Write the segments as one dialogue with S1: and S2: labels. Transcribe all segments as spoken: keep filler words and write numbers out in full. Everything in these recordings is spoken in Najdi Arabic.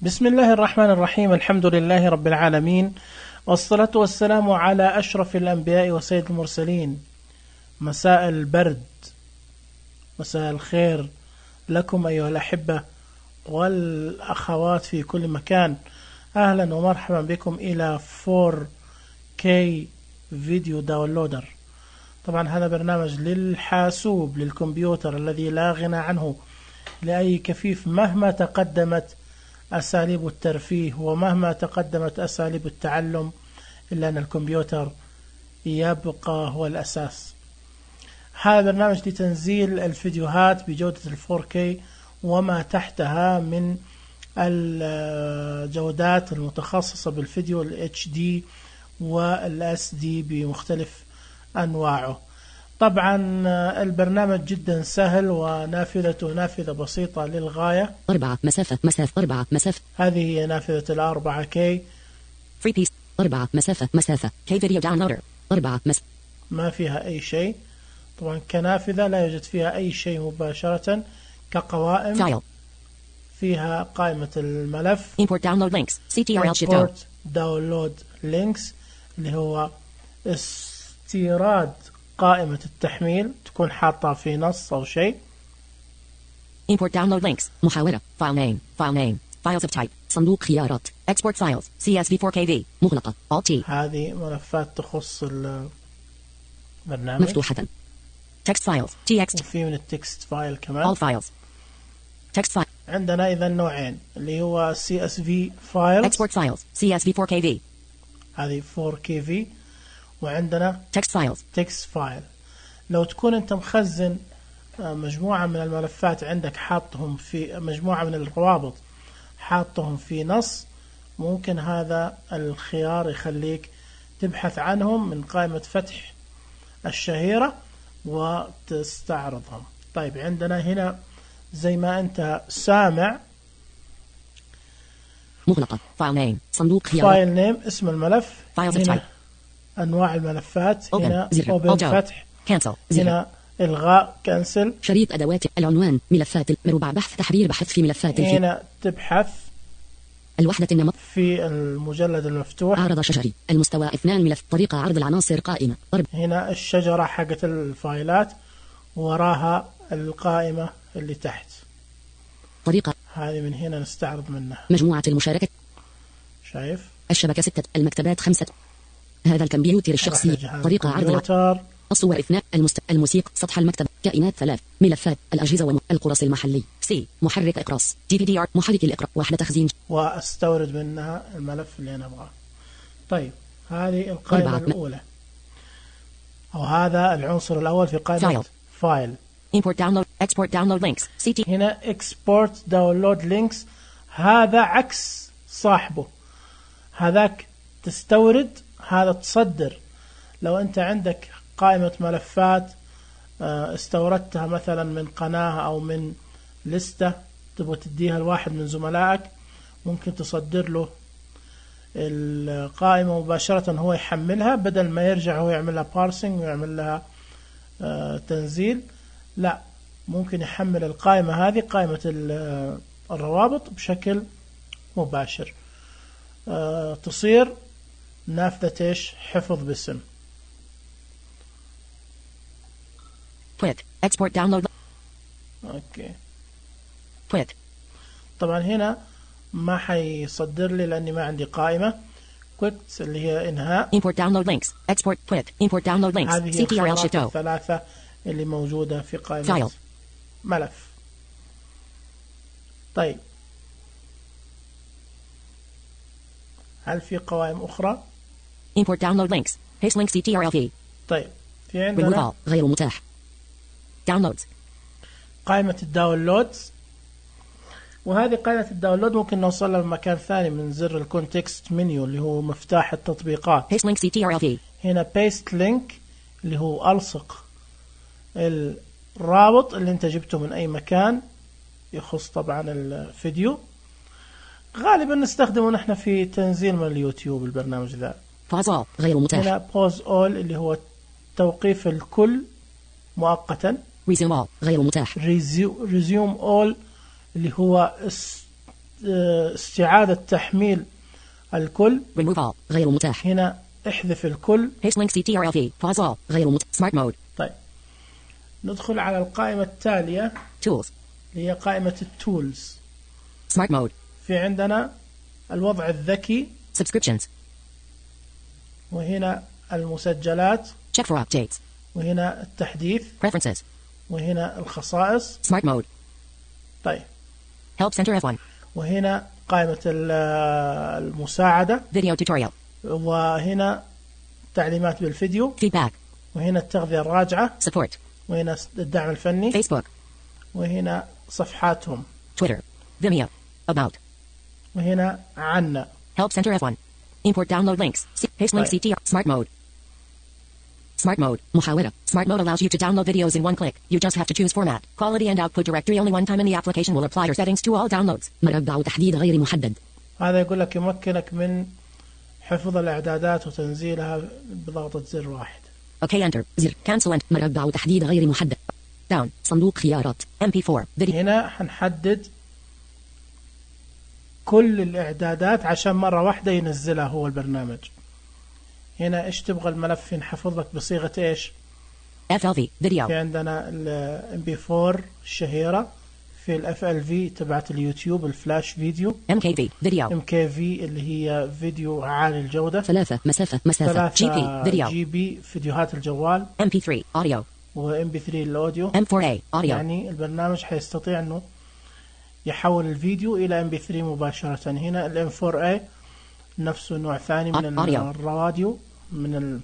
S1: بسم الله الرحمن الرحيم. الحمد لله رب العالمين، والصلاة والسلام على أشرف الأنبياء وسيد المرسلين. مساء البرد، مساء الخير لكم أيها الأحبة والأخوات في كل مكان. أهلا ومرحبا بكم إلى فور كي فيديو داونلودر. طبعا هذا برنامج للحاسوب للكمبيوتر الذي لا غنى عنه لأي كفيف مهما تقدمت أساليب الترفيه ومهما تقدمت أساليب التعلم، إلا أن الكمبيوتر يبقى هو الأساس. هذا برنامج لتنزيل الفيديوهات بجودة الفور كي وما تحتها من الجودات المتخصصة بالفيديو ال إتش دي وال إس دي بمختلف أنواعه. طبعا البرنامج جدا سهل ونافذته نافذة بسيطة للغاية.
S2: أربعة مسافة مسافة أربعة مسافة.
S1: هذه هي نافذة الأربعة كي.
S2: Free piece. أربعة مسافة مسافة. K video downloader. أربعة مس.
S1: ما فيها أي شيء. طبعا كنافذة لا يوجد فيها أي شيء مباشرة. كقوائم
S2: File.
S1: فيها قائمة الملف.
S2: Import download links. سي تي آر إل Shift O.
S1: Import download links اللي هو استيراد قائمة التحميل، تكون حاطة في نص أو شيء.
S2: Import download links. محاورة. File name. File name. Files of type. صندوق خيارات. Export files. سي إس في فور كي في. مغلقة. Alt T.
S1: هذه ملفات تخص البرنامج.
S2: مفتوحة. Text files. تي إكس تي.
S1: وفي من التكست فايل كمان.
S2: All files. Text file.
S1: عندنا إذا نوعين اللي هو سي إس في files.
S2: Export files. سي إس في فور كي في.
S1: هذه فور كي في. وعندنا
S2: Text files.
S1: تكست فايل. لو تكون أنت مخزن مجموعة من الملفات عندك حاطهم في مجموعة من الروابط حاطهم في نص، ممكن هذا الخيار يخليك تبحث عنهم من قائمة فتح الشهيرة وتستعرضهم. طيب عندنا هنا زي ما أنت سامع
S2: مغلقة. File name. صندوق خيارات.
S1: فايل نيم اسم الملف.
S2: Files of
S1: هنا
S2: type.
S1: أنواع الملفات.
S2: Open.
S1: هنا
S2: زر.
S1: Open
S2: Alt.
S1: فتح.
S2: Cancel. زر.
S1: هنا إلغاء كنسل.
S2: شريط أدوات العنوان. ملفات مربع بحث تحرير بحث في ملفات الفي.
S1: هنا تبحث
S2: الوحدة النمط.
S1: في المجلد المفتوح.
S2: عرض شجري. المستوى اثنان ملف. طريقة عرض العناصر قائمة. ضرب.
S1: هنا الشجرة حقت الفايلات وراها القائمة اللي تحت.
S2: طريقة.
S1: هذه من هنا نستعرض منها.
S2: مجموعة المشاركة.
S1: شايف
S2: الشبكة ستة. المكتبات خمسة. هذا الكمبيوتر الشخصي. طريقة عرض العناصر. الصور اثنان. المست... الموسيقى. سطح المكتب. كائنات ثلاث. ملفات. الأجهزة والقرص المحلي. سي. محرك إقراص. دي في دي آر. محرك الإقراء. وحدة تخزين.
S1: واستورد منها الملف اللي أنا أبغاه. طيب هذه القائمة الأولى أو هذا العنصر الأول في قائمة فايل.
S2: Import download. Export download links. سي تي.
S1: هنا Export download links. هذا عكس صاحبه. هذاك تستورد، هذا تصدر. لو أنت عندك قائمة ملفات استوردتها مثلا من قناة أو من لستة تبغى تديها لواحد من زملائك، ممكن تصدر له القائمة مباشرة هو يحملها بدل ما يرجع هو يعمل لها بارسينج ويعمل لها تنزيل. لا، ممكن يحمل القائمة هذه قائمة الروابط بشكل مباشر. تصير نافذة ايش؟ حفظ باسم.
S2: Quick. Export download.
S1: اوكي.
S2: Quick.
S1: طبعا هنا ما حيصدر لي لاني ما عندي قائمة. Quick اللي هي انهاء.
S2: Import download links. Export. Quick. Import download links.
S1: هذه
S2: سي تي آر إل Shift O.
S1: الثلاثة اللي موجودة في قائمة
S2: File.
S1: ملف. طيب هل في قوائم أخرى؟
S2: Import download links. Paste link سي تي آر إل في.
S1: طيب في عندنا
S2: Remove all. غير متاح. Downloads.
S1: قائمة الداونلودز، وهذه قائمة الداونلود ممكن نوصلها بمكان ثاني من زر الكونتكست منيو اللي هو مفتاح التطبيقات.
S2: Paste link سي تي آر إل في.
S1: هنا paste link اللي هو ألصق الرابط اللي انت جبته من أي مكان يخص طبعا الفيديو. غالبا نستخدمه نحن في تنزيل من اليوتيوب البرنامج ذا.
S2: Pause all. غير متاح.
S1: هنا pause all اللي هو توقيف الكل مؤقتا.
S2: Resume all. غير متاح.
S1: Resume all اللي هو استعادة تحميل الكل.
S2: remove all غير متاح.
S1: هنا احذف الكل.
S2: paste link C T R L V pause all غير متاح. smart mode.
S1: طيب ندخل على القائمة التالية
S2: tools
S1: اللي هي قائمة التولز.
S2: smart mode.
S1: في عندنا الوضع الذكي
S2: subscriptions
S1: وهنا المسجلات
S2: check for updates
S1: وهنا التحديث
S2: preferences
S1: وهنا الخصائص
S2: smart mode.
S1: طيب
S2: help center F one
S1: وهنا قائمة المساعدة
S2: video tutorial
S1: وهنا تعليمات بالفيديو
S2: feedback
S1: وهنا التغذية الراجعة
S2: support
S1: وهنا الدعم الفني
S2: Facebook
S1: وهنا صفحاتهم
S2: Twitter Vimeo about
S1: وهنا عنا
S2: help center F one import download links paste link C T R smart mode. Smart mode محاورة. Smart mode allows you to download videos in one click. You just have to choose format, quality and output directory only one time in the application will apply your settings to all downloads. مربع تحديد غير محدد.
S1: هذا يقول لك يمكنك من حفظ الإعدادات وتنزيلها بضغطة زر واحد.
S2: اوكي انتر زر cancel and مربع تحديد غير محدد. down صندوق خيارات إم بي فور video.
S1: هنا حنحدد كل الإعدادات عشان مرة واحدة ينزلها هو البرنامج. هنا إيش تبغى الملف ينحفظ لك بصيغة إيش؟
S2: إف إل في video.
S1: في عندنا ال إم بي فور الشهيرة في ال إف إل في تبعت اليوتيوب الفلاش فيديو.
S2: إم كي في video.
S1: إم كي في اللي هي فيديو عالي الجودة.
S2: ثلاثة مسافة مسافة جي بي video.
S1: جي بي فيديوهات الجوال.
S2: إم بي ثري audio.
S1: و إم بي ثري الأوديو.
S2: إم فور إيه audio.
S1: يعني البرنامج حيستطيع إنه يحول الفيديو إلى إم بي ثري مباشرة. هنا ال إم فور إيه نفسه نوع ثاني من الراديو من ال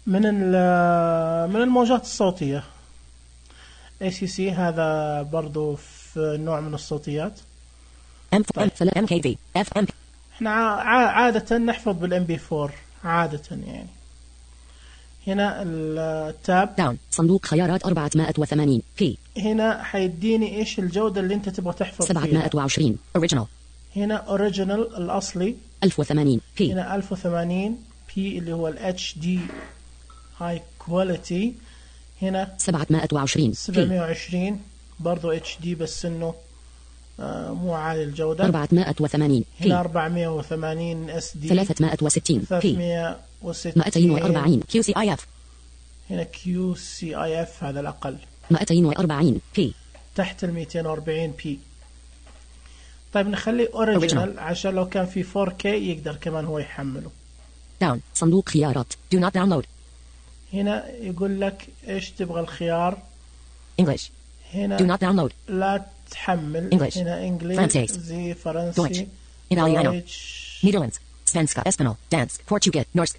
S1: من ال من الموجات الصوتية. إيه سي سي هذا برضو في نوع من الصوتيات.
S2: طيب. إم كي في إف إم.
S1: إحنا عادة نحفظ بالإم بي فور عادة يعني. هنا التاب
S2: داون صندوق خيارات أربعمائة وثمانين بي.
S1: هنا حيديني إيش الجودة اللي أنت تبغى تحفظ فيها.
S2: سبعمائة وعشرين original.
S1: هنا أوريجينال الأصلي
S2: ألف وثمانين بي.
S1: هنا ألف وثمانين بي اللي هو ال إتش دي هاي كواليتي. هنا
S2: سبعمائة وعشرين
S1: سبعمائة وعشرين برضو إتش دي بس إنه آه مو عالي الجودة.
S2: أربعمائة وثمانين بي.
S1: هنا أربعمائة وثمانين إس دي.
S2: ثلاثمائة وستين بي.
S1: ثلاثمائة وستين.
S2: مئتين وأربعين كيو سي آي إف.
S1: هنا كيو سي آي إف هذا الأقل.
S2: مئتين وأربعين بي.
S1: تحت ال مئتين وأربعين بي. طيب نخليه أوريجينال عشان لو كان في فور كي يقدر كمان هو يحمله.
S2: داون صندوق خيارات do not download.
S1: هنا يقول لك إيش تبغى الخيار.
S2: English.
S1: هنا
S2: do not download.
S1: لا تحمل.
S2: English.
S1: هنا إنجليزي زي فرنسي.
S2: Italiano. Netherlands. Svenska. Espanol. Dansk. Portuguese. Norsk.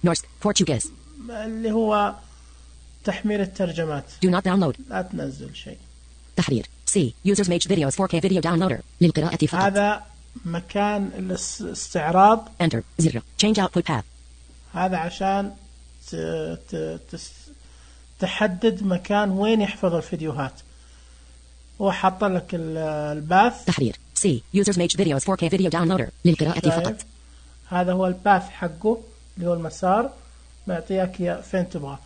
S2: Norsk. Portuguese.
S1: اللي هو تحميل الترجمات.
S2: do not download.
S1: لا تنزل شيء.
S2: تحرير C users made videos فور كي video downloader للقراءة فقط.
S1: هذا مكان الاستعراض.
S2: enter زر change output path.
S1: هذا عشان ت... ت... تس... تحدد مكان وين يحفظ الفيديوهات. هو حط لك الباث.
S2: تحرير C users made videos فور كي video downloader للقراءة فقط.
S1: هذا هو الباث حقه اللي هو المسار معطيك يا فين تبغى.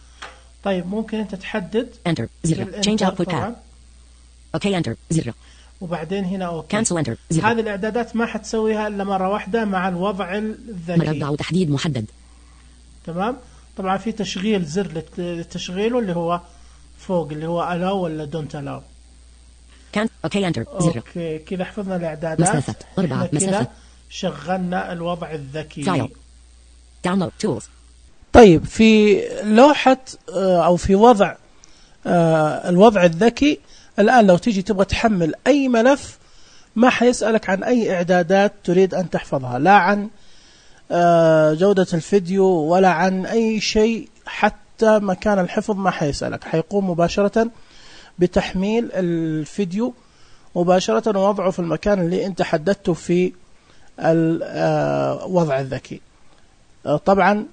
S1: طيب ممكن انت تحدد
S2: enter زر change output path. اوكي انتر زر.
S1: وبعدين هنا اوكي
S2: كانسل انتر زر.
S1: هذه الاعدادات ما حتسويها الا مره واحده مع الوضع الذكي.
S2: مربع تحديد محدد.
S1: تمام. طبعا في تشغيل زر للتشغيله اللي هو فوق اللي هو allow ولا don't allow.
S2: كان اوكي انتر زر.
S1: اوكي كذا حفظنا الاعدادات.
S2: مسافة أربعة مسافة.
S1: شغلنا الوضع الذكي.
S2: فايل داونلود تولز.
S1: طيب في لوحة او في وضع الوضع الذكي الآن لو تيجي تبغى تحمل أي ملف ما حيسألك عن أي إعدادات تريد أن تحفظها، لا عن جودة الفيديو ولا عن أي شيء، حتى مكان الحفظ ما حيسألك، حيقوم مباشرة بتحميل الفيديو مباشرة ووضعه في المكان اللي أنت حددته في الوضع الذكي. طبعا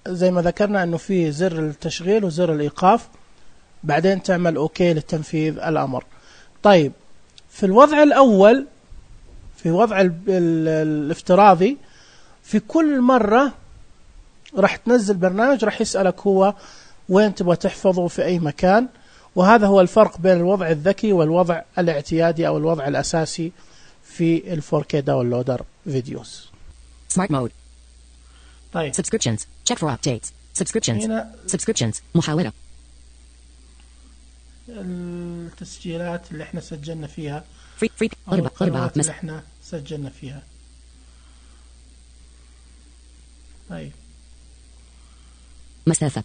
S1: زي ما ذكرنا أنه في زر التشغيل وزر الإيقاف، بعدين تعمل أوكي لتنفيذ الأمر. طيب في الوضع الأول في وضع الافتراضي في كل مرة راح تنزل برنامج راح يسألك هو وين تبغى تحفظه في أي مكان، وهذا هو الفرق بين الوضع الذكي والوضع الاعتيادي أو الوضع الأساسي في ال فور كيه داونلودر فيديوز.
S2: Smart mode.
S1: طيب.
S2: Subscriptions. Check for updates. Subscriptions.
S1: هنا
S2: Subscriptions. محاورة.
S1: التسجيلات اللي احنا سجلنا فيها.
S2: Free free. أربعة أربعة
S1: اللي احنا سجلنا فيها. طيب.
S2: مسافة.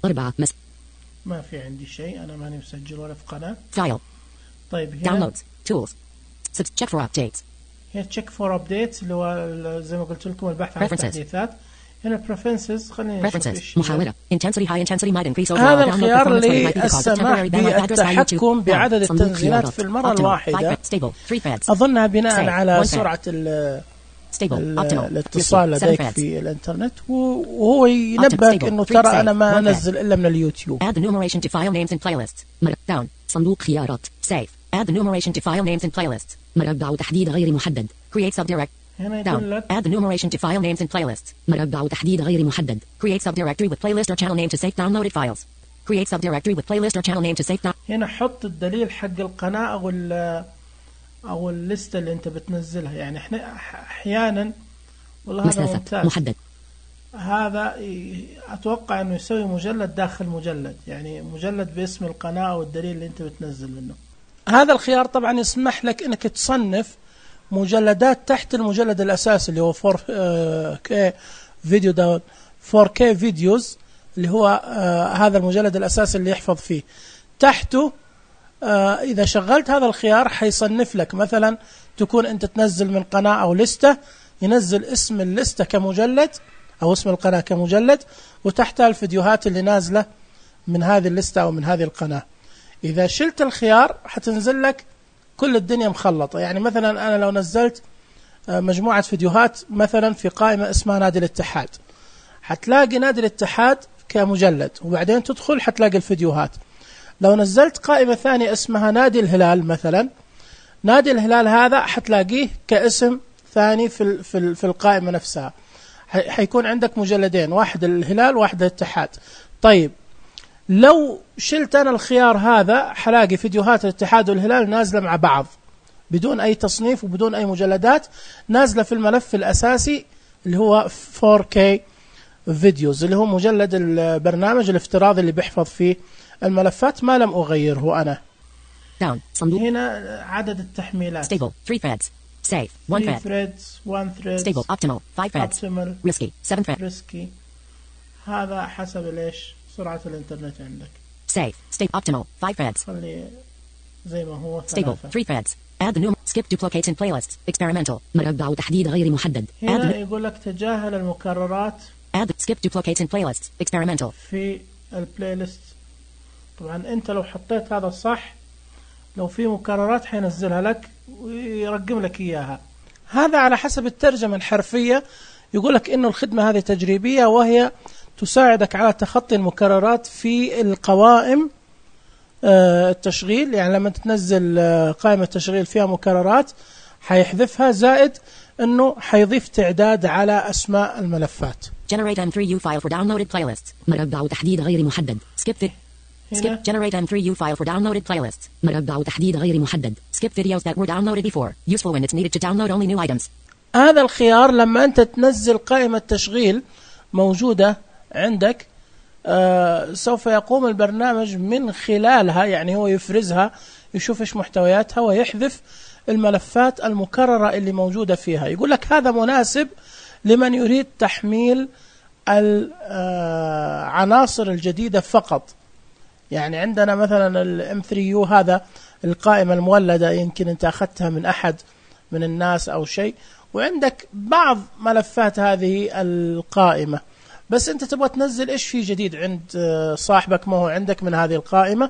S2: أربعة مس.
S1: ما في عندي شيء، أنا ماني مسجل ولا في قناة.
S2: File.
S1: طيب هنا.
S2: Downloads. Tools. Check for updates.
S1: هنا check for updates اللي هو زي ما قلت لكم البحث عن التحديثات. هنا preferences خلينا نشوف ايش.
S2: محاورة. Intensity high intensity might increase overall.
S1: هذا الخيار للسماح بالتحكم بعدد التنزيلات في المرة الواحدة. أظنها بناء على سرعة الاتصال لديك في الانترنت، وهو ينبهك انه ترى انا ما انزل الا من اليوتيوب.
S2: Add the numeration to file names and playlists. down. صندوق خيارات. Save. Add the numeration to file names and playlists. مربع تحديد غير محدد. Create subdirect.
S1: هنا يقول لك
S2: Add the numeration to file names and playlists. مربع تحديد غير محدد. Create subdirectory with playlist or channel name to save downloaded files. Create subdirectory with playlist or channel name to save down.
S1: هنا حط الدليل حق القناة او ال او الليستة اللي انت بتنزلها. يعني احنا احيانا والله هذا ممتاز.
S2: محدد.
S1: هذا اتوقع انه يسوي مجلد داخل مجلد، يعني مجلد باسم القناة او الدليل اللي انت بتنزل منه. هذا الخيار طبعا يسمح لك انك تصنف مجلدات تحت المجلد الاساسي اللي هو فور كيه فيديو داون فور كيه فيديوز، اللي هو آه هذا المجلد الاساسي اللي يحفظ فيه. تحته آه اذا شغلت هذا الخيار حيصنف لك، مثلا تكون انت تنزل من قناة او لستة، ينزل اسم اللستة كمجلد او اسم القناة كمجلد، وتحتها الفيديوهات اللي نازلة من هذه اللستة او من هذه القناة. اذا شلت الخيار حتنزل لك كل الدنيا مخلطة. يعني مثلا أنا لو نزلت مجموعة فيديوهات مثلا في قائمة اسمها نادي الاتحاد، حتلاقي نادي الاتحاد كمجلد، وبعدين تدخل حتلاقي الفيديوهات. لو نزلت قائمة ثانية اسمها نادي الهلال مثلا، نادي الهلال هذا حتلاقيه كاسم ثاني في في في القائمة نفسها. حيكون عندك مجلدين، واحد الهلال واحد الاتحاد. طيب لو شلت أنا الخيار هذا حلاقي فيديوهات الاتحاد والهلال نازلة مع بعض بدون أي تصنيف وبدون أي مجلدات، نازلة في الملف الأساسي اللي هو فور كيه فيديوز، اللي هو مجلد البرنامج الافتراضي اللي بيحفظ فيه الملفات ما لم أغيره أنا.
S2: Down. صندوق.
S1: هنا عدد التحميلات.
S2: Stable. three threads. Save. one thread.
S1: threads. one thread.
S2: Stable. Optimal. five threads.
S1: Optimal.
S2: Risky. seven threads.
S1: Risky. هذا حسب ليش سرعة الإنترنت عندك.
S2: Save. Stable. Optimal. five threads.
S1: خلي زي ما هو.
S2: Stable. three threads. Add the new. Skip duplicates in playlists. Experimental. مربع تحديد غير محدد.
S1: هنا يقول لك تجاهل المكررات.
S2: Add. Skip duplicates in playlists. Experimental.
S1: في البلاي ليست. طبعا أنت لو حطيت هذا الصح، لو في مكررات حينزلها لك ويرقم لك إياها. هذا على حسب الترجمة الحرفية. يقول لك إنه الخدمة هذه تجريبية، وهي تساعدك على تخطي المكررات في القوائم التشغيل. يعني لما تنزل قائمة تشغيل فيها مكررات حيحذفها، زائد انه حيضيف تعداد على اسماء الملفات.
S2: Generate إم ثري يو file for downloaded playlists. مربع تحديد غير محدد. Skip it. Skip. Generate إم ثري يو file for downloaded playlists. مربع تحديد غير محدد. Skip videos that were downloaded before. Useful when it's needed to download only new items.
S1: هذا الخيار لما انت تنزل قائمة تشغيل موجودة عندك، آه سوف يقوم البرنامج من خلالها، يعني هو يفرزها، يشوف ايش محتوياتها ويحذف الملفات المكررة اللي موجودة فيها. يقول لك هذا مناسب لمن يريد تحميل العناصر الجديدة فقط. يعني عندنا مثلا ال إم ثري يو هذا القائمة المولدة، يمكن انت اخذتها من احد من الناس او شيء، وعندك بعض ملفات هذه القائمة، بس انت تبغى تنزل ايش في جديد عند صاحبك ما هو عندك من هذه القائمة،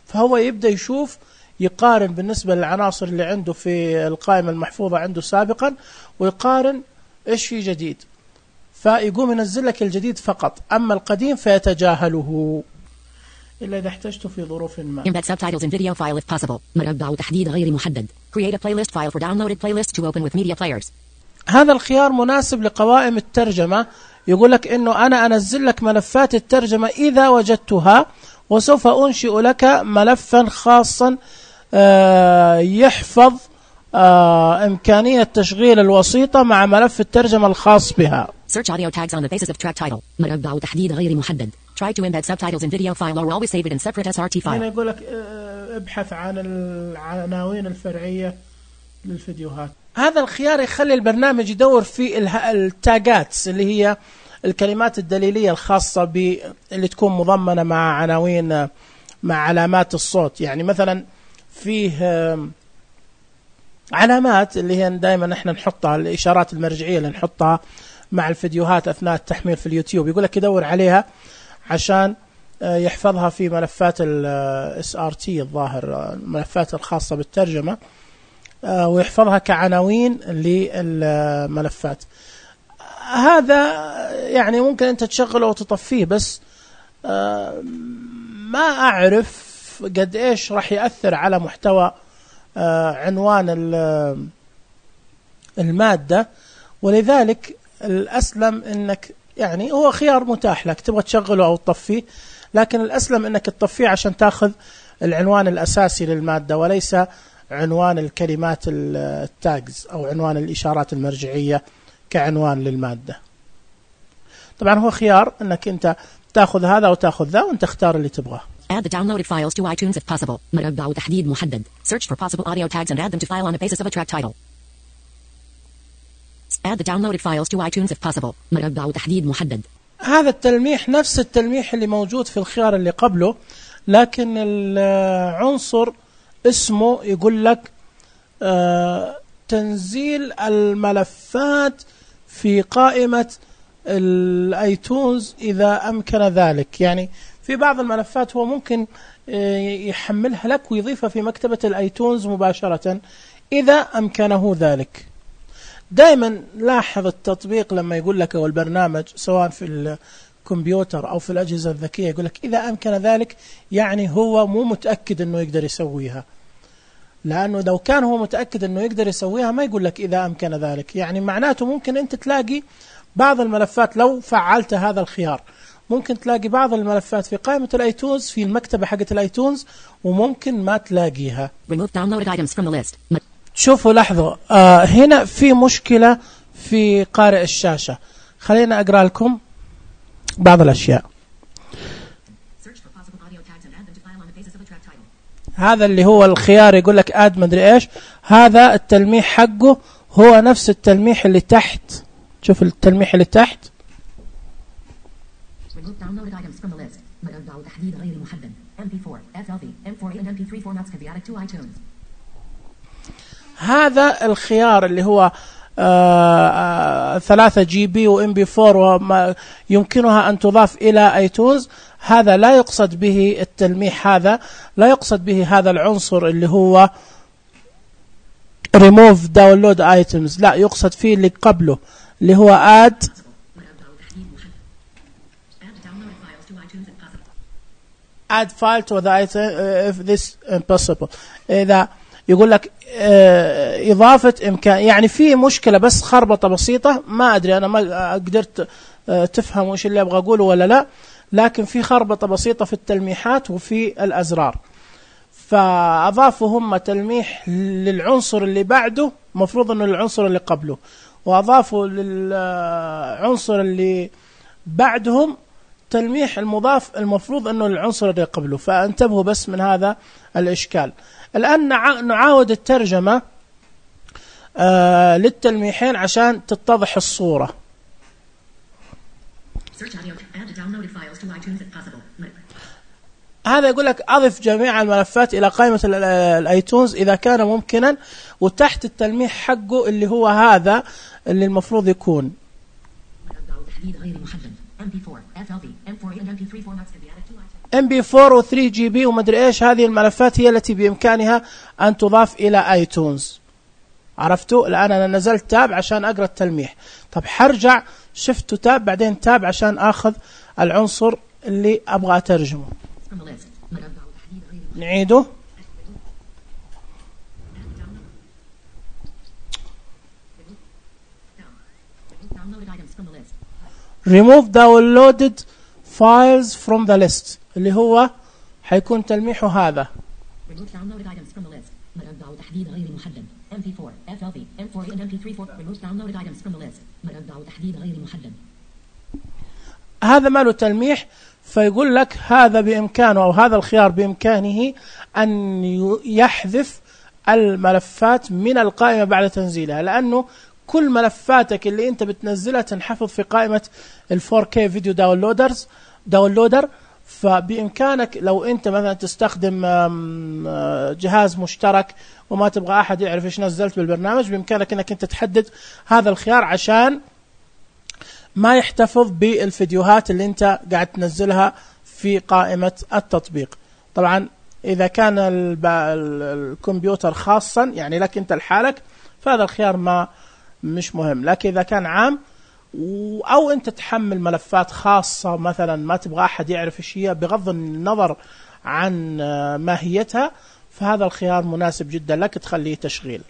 S1: فهو يبدأ يشوف، يقارن بالنسبة للعناصر اللي عنده في القائمة المحفوظة عنده سابقا، ويقارن ايش في جديد، فيقوم ينزل لك الجديد فقط، اما القديم فيتجاهله إلا إذا احتجته في ظروف ما.
S2: Embed subtitles in video file if possible. مربع تحديد غير محدد. Create a playlist file for downloaded playlists to open with media players.
S1: هذا الخيار مناسب لقوائم الترجمة. يقول لك إنه أنا أنزل لك ملفات الترجمة إذا وجدتها، وسوف أنشئ لك ملفا خاصا يحفظ إمكانية تشغيل الوسيطة مع ملف الترجمة الخاص بها.
S2: Search audio tags on the basis of track title. مربع تحديد غير محدد. Try to embed subtitles in video file or always save it in separate إس آر تي file.
S1: هنا يقول لك ابحث عن العناوين الفرعية للفيديوهات. هذا الخيار يخلي البرنامج يدور في التاجات اللي هي الكلمات الدليلية الخاصة ب اللي تكون مضمنة مع عناوين مع علامات الصوت. يعني مثلا فيه علامات اللي هي دائما نحن نحطها، الإشارات المرجعية اللي نحطها مع الفيديوهات أثناء التحميل في اليوتيوب، يقول لك يدور عليها عشان يحفظها في ملفات ال إس آر تي الظاهر، الملفات الخاصة بالترجمة، ويحفظها كعناوين للملفات. هذا يعني ممكن أنت تشغله وتطفيه، بس ما أعرف قد إيش راح يأثر على محتوى عنوان المادة، ولذلك الأسلم أنك يعني هو خيار متاح لك تبغى تشغله أو تطفيه، لكن الأسلم أنك تطفيه عشان تأخذ العنوان الأساسي للمادة وليس عنوان الكلمات التاجز أو عنوان الإشارات المرجعية كعنوان للمادة. طبعا هو خيار أنك أنت تأخذ هذا أو تأخذ ذا وأنت اختار اللي تبغاه.
S2: Add the downloaded files to iTunes if possible. مربع تحديد محدد. Search for possible audio tags and add them to file on the basis of a track title. Add the downloaded files to iTunes if possible. مربع تحديد محدد.
S1: هذا التلميح نفس التلميح اللي موجود في الخيار اللي قبله، لكن العنصر اسمه يقول لك آه تنزيل الملفات في قائمة الايتونز إذا أمكن ذلك. يعني في بعض الملفات هو ممكن يحملها لك ويضيفها في مكتبة الايتونز مباشرة إذا أمكنه ذلك. دائما لاحظ التطبيق لما يقول لك أو البرنامج سواء في الكمبيوتر أو في الأجهزة الذكية يقول لك إذا أمكن ذلك، يعني هو مو متأكد أنه يقدر يسويها، لأنه لو كان هو متأكد أنه يقدر يسويها ما يقول لك إذا أمكن ذلك. يعني معناته ممكن أنت تلاقي بعض الملفات لو فعلت هذا الخيار ممكن تلاقي بعض الملفات في قائمة الايتونز في المكتبة حقة الايتونز وممكن ما تلاقيها. شوفوا لاحظوا آه هنا في مشكلة في قارئ الشاشة. خلينا أقرأ لكم بعض الأشياء. هذا اللي هو الخيار يقول لك آد مدري إيش، هذا التلميح حقه هو نفس التلميح اللي تحت. شوف التلميح اللي تحت. هذا الخيار اللي هو ثلاثة جي بي وإم بي فور وما يمكنها أن تضاف إلى ايتونز، هذا لا يقصد به التلميح، هذا لا يقصد به هذا العنصر اللي هو remove download items، لا يقصد فيه اللي قبله اللي هو add add file to the item if this impossible. إذا يقول لك إضافة إمكان، يعني في مشكلة بس خربطة بسيطة، ما أدري أنا ما قدرت تفهم وش اللي أبغى أقوله ولا لا، لكن في خربطة بسيطة في التلميحات وفي الأزرار. فأضافوا هم تلميح للعنصر اللي بعده مفروض أنه العنصر اللي قبله، وأضافوا للعنصر اللي بعدهم تلميح المضاف المفروض أنه العنصر اللي قبله. فانتبهوا بس من هذا الإشكال. الآن نعاود الترجمة آه للتلميحين عشان تتضح الصورة. هذا يقول لك أضف جميع الملفات إلى قائمة الآيتونز إذا كان ممكنا، وتحت التلميح حقه اللي هو هذا اللي المفروض يكون إم بي فور و ثري جي بي ومدري إيش. هذه الملفات هي التي بإمكانها أن تضاف إلى ايتونز. عرفتوا؟ الآن أنا نزلت تاب عشان أقرأ التلميح، طب حرجع شفت تاب بعدين تاب عشان أخذ العنصر اللي أبغى أترجمه. نعيده. remove downloaded files from the list اللي هو حيكون تلميحه هذا.
S2: remove downloaded items from the list. مربع تحديد غير محدد. إم بي فور, إف إل في, إم فور and إم بي ثري فور. remove downloaded items from the list. مربع تحديد غير محدد.
S1: هذا ما له تلميح، فيقول لك هذا بإمكانه أو هذا الخيار بإمكانه أن يحذف الملفات من القائمة بعد تنزيلها، لأنه كل ملفاتك اللي أنت بتنزلها تنحفظ في قائمة ال فور كي فيديو داونلودرز داونلودر. فبإمكانك لو أنت مثلا تستخدم جهاز مشترك وما تبغى أحد يعرف إيش نزلت بالبرنامج، بإمكانك أنك أنت تحدد هذا الخيار عشان ما يحتفظ بالفيديوهات اللي أنت قاعد تنزلها في قائمة التطبيق. طبعا إذا كان الكمبيوتر خاصا يعني لك أنت لحالك فهذا الخيار ما مش مهم، لكن إذا كان عام أو أنت تحمل ملفات خاصة مثلا ما تبغى أحد يعرف إيش هي بغض النظر عن ماهيتها، فهذا الخيار مناسب جدا لك تخليه تشغيل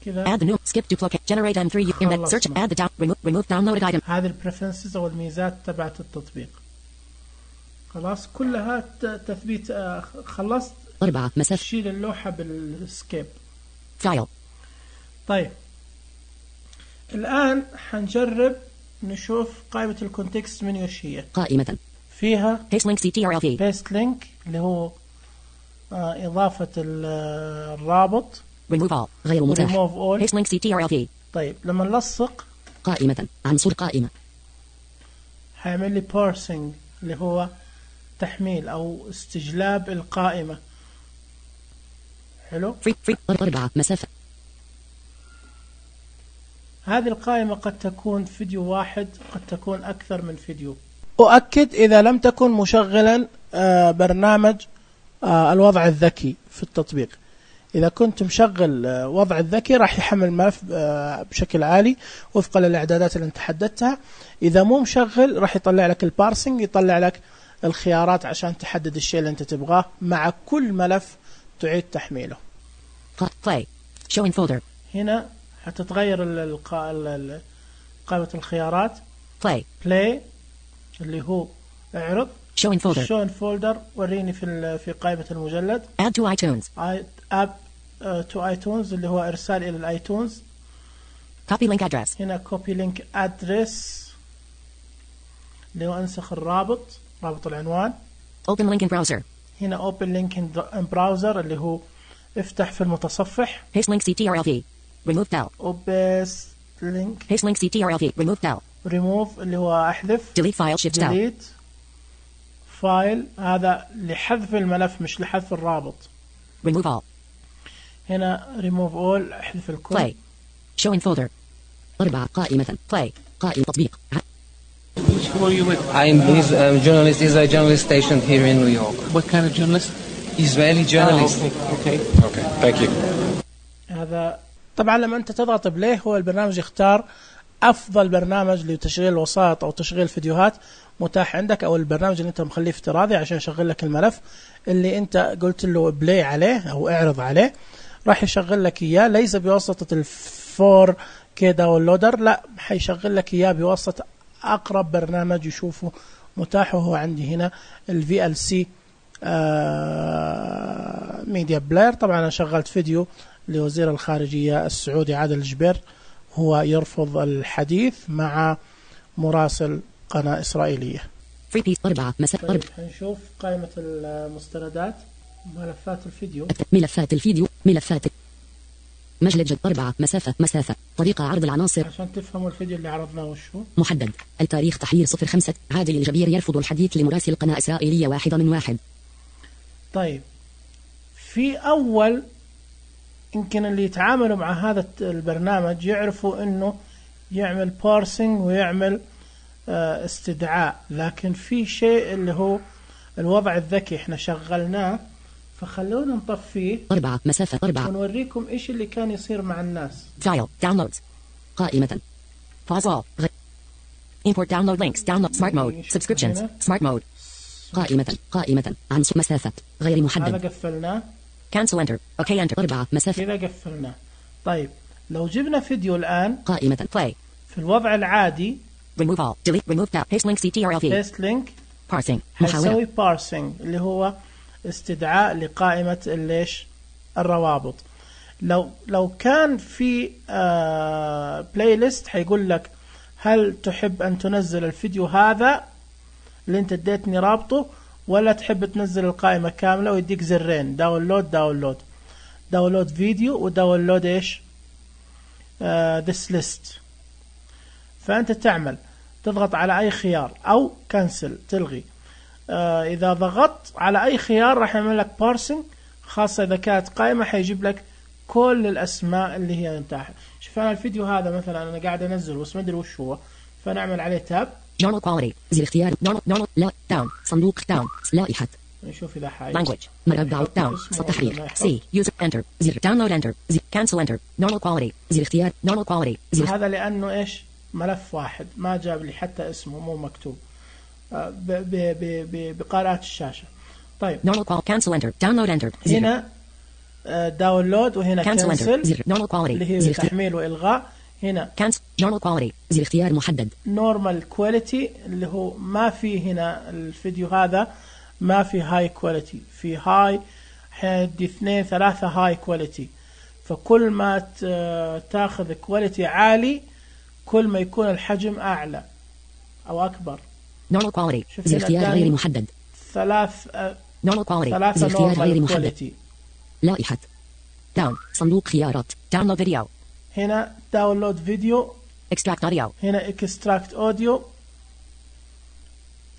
S1: كذا.
S2: add the new skip duplicate generate إم ثري embed search add the down remove remove downloaded item.
S1: هذه البريفرنسز أو الميزات تبعت التطبيق. خلاص كلها تثبيت. خلصت
S2: أربعة مسافة.
S1: شيل اللوحة بالسكيب.
S2: فايل.
S1: طيب الآن حنجرب نشوف قائمة الكونتكست منيو ايش هي.
S2: قائمة
S1: فيها
S2: paste link سي تي آر إل في
S1: paste link اللي هو آه إضافة الرابط.
S2: remove all غير متاح.
S1: remove all
S2: paste link سي تي آر إل في.
S1: طيب لما نلصق
S2: قائمة عنصر قائمة
S1: حيعمل لي parsing اللي هو تحميل أو استجلاب القائمة. حلو.
S2: free free أربعة مسافة.
S1: هذه القائمة قد تكون فيديو واحد قد تكون أكثر من فيديو. أؤكد إذا لم تكن مشغلا برنامج الوضع الذكي في التطبيق. إذا كنت مشغل وضع الذكي راح يحمل الملف بشكل عالي وفقا للإعدادات اللي انت حددتها. إذا مو مشغل راح يطلع لك البارسنج، يطلع لك الخيارات عشان تحدد الشيء اللي انت تبغاه مع كل ملف تعيد تحميله.
S2: play show in folder.
S1: هنا حتتغير قائمة الخيارات.
S2: play
S1: play اللي هو اعرض.
S2: show in folder.
S1: show in folder وريني في في قائمة المجلد.
S2: add to iTunes.
S1: add to iTunes اللي هو إرسال إلى الآيتونز.
S2: copy link address.
S1: هنا copy link address اللي هو أنسخ الرابط رابط العنوان.
S2: open link in browser.
S1: هنا open link in browser اللي هو افتح في المتصفح.
S2: paste link سي تي آر إل في. remove del.
S1: paste link.
S2: paste link سي تي آر إل في. remove del.
S1: remove اللي هو أحذف.
S2: delete file shift del.
S1: delete فايل هذا لحذف الملف مش لحذف الرابط.
S2: remove all.
S1: هنا remove all احذف الكل.
S2: play show in folder. أربعة قائمة play قائمة تطبيق.
S3: Who are you with?
S4: I'm he's a journalist. He's a journalist stationed here in New York.
S3: What kind of journalist?
S4: Israeli journalist.
S3: Oh, okay. okay. Okay. Thank you.
S1: هذا طبعا لما أنت تضغط بليه هو البرنامج يختار أفضل برنامج لتشغيل الوسائط أو تشغيل الفيديوهات متاح عندك، أو البرنامج اللي أنت مخليه افتراضي عشان يشغل لك الملف اللي أنت قلت له بلاي عليه أو اعرض عليه، راح يشغل لك إياه ليس بواسطة الفور كي داونلودر، لا حيشغل لك إياه بواسطة أقرب برنامج يشوفه متاح. وهو عندي هنا ال في إل سي ميديا بلاير. طبعا أنا شغلت فيديو لوزير الخارجية السعودي عادل الجبير هو يرفض الحديث مع مراسل قناة إسرائيلية.
S2: free piece أربعة مسافة.
S1: طيب هنشوف قائمة المستندات ملفات الفيديو.
S2: ملفات الفيديو ملفات مجلد جد. أربعة مسافة مسافة طريقة عرض العناصر
S1: عشان تفهموا الفيديو اللي عرضناه وشو
S2: محدد. التاريخ تحرير صفر خمسة. عادل الجبير يرفض الحديث لمراسل قناة إسرائيلية واحدة من واحد.
S1: طيب في أول يمكن اللي يتعاملوا مع هذا البرنامج يعرفوا انه يعمل بارسنج ويعمل استدعاء، لكن في شيء اللي هو الوضع الذكي احنا شغلناه، فخلونا نطفيه.
S2: أربعة مسافة أربعة
S1: ونوريكم ايش اللي كان يصير مع الناس.
S2: فايل داونلودز قائمة pause all import download links download smart mode subscriptions smart mode قائمة قائمة عنصر مسافة غير محدد.
S1: هذا قفلناه.
S2: cancel enter اوكي enter. أربعة مسافة
S1: كذا قفلناه. طيب لو جبنا فيديو الآن
S2: قائمة play
S1: في الوضع العادي
S2: remove all, delete, remove tab, paste link ctrl v.
S1: paste link
S2: parsing.
S1: حيسوي parsing اللي هو استدعاء لقائمة الليش الروابط. لو لو كان في آه بلاي ليست حيقول لك هل تحب أن تنزل الفيديو هذا اللي انت اديتني رابطه ولا تحب تنزل القائمة كاملة، ويديك زرين داونلود داونلود داونلود فيديو وداونلود ايش آه this list. فأنت تعمل تضغط على أي خيار أو كنسل تلغي. آه إذا ضغطت على أي خيار راح يعمل لك بارسنج، خاصة إذا كانت قائمة حيجيب لك كل الأسماء اللي هي متاحة. شوف أنا الفيديو هذا مثلا أنا قاعد أنزل بس ما أدري وش هو، فنعمل عليه تاب
S2: Normal quality زر اختيار normal normal لا داون صندوق داون لائحة
S1: نشوف إذا حاجة
S2: language مربع داون صوت تحرير سي user enter زر download enter زر cancel enter normal quality زر اختيار normal quality زر.
S1: هذا لأنه إيش ملف واحد ما جاب لي حتى اسمه مو مكتوب بقراءة الشاشة. طيب
S2: normal quality cancel enter download enter
S1: هنا داونلود وهنا
S2: cancel
S1: cancel
S2: زر normal quality
S1: اللي هي تحميل وإلغاء. هنا
S2: cancel normal quality زر اختيار محدد
S1: normal quality اللي هو ما في هنا الفيديو هذا ما في high quality، في high حيدي اثنين ثلاثة high quality. فكل ما تاخذ quality عالي كل ما يكون الحجم أعلى أو أكبر.
S2: normal quality زر اختيار غير محدد
S1: ثلاث
S2: normal quality
S1: ثلاثة
S2: زر اختيار
S1: normal
S2: غير محدد
S1: quality.
S2: لائحة داون صندوق خيارات download video
S1: هنا download video
S2: extract audio
S1: هنا extract audio.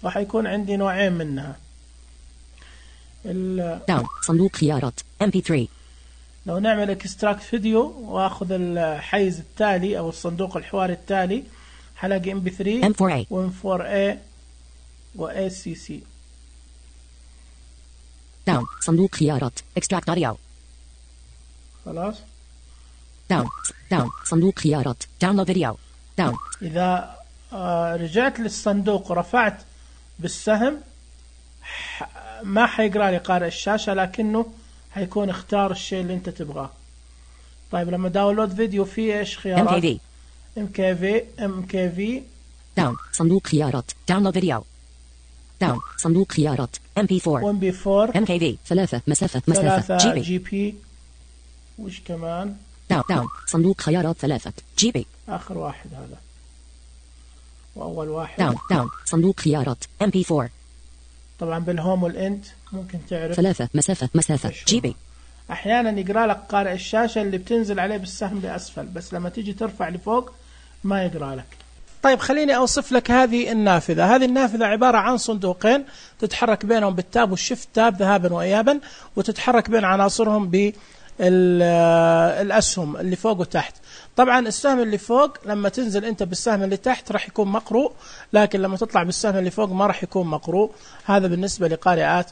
S1: راح يكون عندي نوعين منها.
S2: داون صندوق خيارات إم بي ثري.
S1: لو نعمل extract فيديو واخذ الحيز التالي او الصندوق الحواري التالي حلاقي إم بي ثري
S2: إم فور إيه
S1: و إم فور إيه و إيه سي سي.
S2: داون صندوق خيارات extract audio
S1: خلاص
S2: داون داون صندوق خيارات download video داون.
S1: إذا آه رجعت للصندوق ورفعت بالسهم ما حيقرأ لي قارئ الشاشة لكنه حيكون اختار الشيء اللي انت تبغاه. طيب لما داونلود فيديو فيه ايش خيارات؟ إم كي في إم كي في
S2: داون صندوق خيارات download video داون صندوق خيارات إم بي فور
S1: إم بي فور
S2: إم كي في ثلاثة مسافة مسافة
S1: ثلاثة
S2: جي بي
S1: جي بي. وش كمان؟
S2: داون داون صندوق خيارات ثلاثة جي بي.
S1: آخر واحد هذا وأول واحد
S2: داون داون صندوق خيارات إم بي فور.
S1: طبعا بالهوم والإنت ممكن تعرف
S2: ثلاثة مسافة مسافة جي بي.
S1: أحيانا يقرأ لك قارئ الشاشة اللي بتنزل عليه بالسهم لأسفل، بس لما تيجي ترفع لفوق ما يقرأ لك. طيب خليني أوصف لك هذه النافذة. هذه النافذة عبارة عن صندوقين تتحرك بينهم بالتاب والشيفت تاب ذهابا وإيابا، وتتحرك بين عناصرهم بالأسهم اللي فوق وتحت. طبعا السهم اللي فوق لما تنزل أنت بالسهم اللي تحت راح يكون مقروء، لكن لما تطلع بالسهم اللي فوق ما راح يكون مقروء. هذا بالنسبة لقارئات